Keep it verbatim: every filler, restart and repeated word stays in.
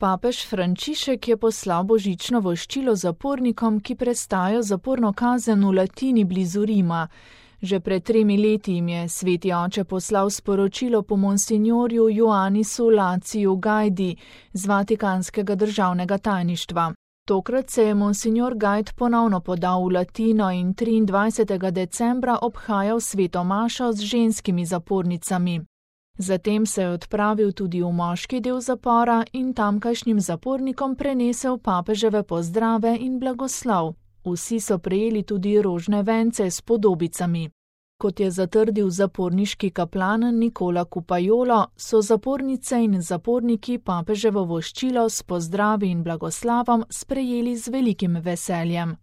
Papež Frančišek je poslal božično voščilo zapornikom, ki prestajajo zaporno kazen v Latini blizu Rima. Že pred tremi leti jim je sveti oče poslal sporočilo po monsinjorju Ioannisu Laciju Gajdi z Vatikanskega državnega tajništva. Tokrat se je monsinjor Gajd ponovno podal v Latino in triindvajsetega decembra obhajal sveto mašo z ženskimi zapornicami. Zatem se je odpravil tudi v moški del zapora in tamkajšnjim zapornikom prenesel papeževe pozdrave in blagoslov. Vsi so prejeli tudi rožne vence s podobicami. Kot je zatrdil zaporniški kaplan Nikola Kupajolo, so zapornice in zaporniki papeževo voščilo s pozdravi in blagoslavom sprejeli z velikim veseljem.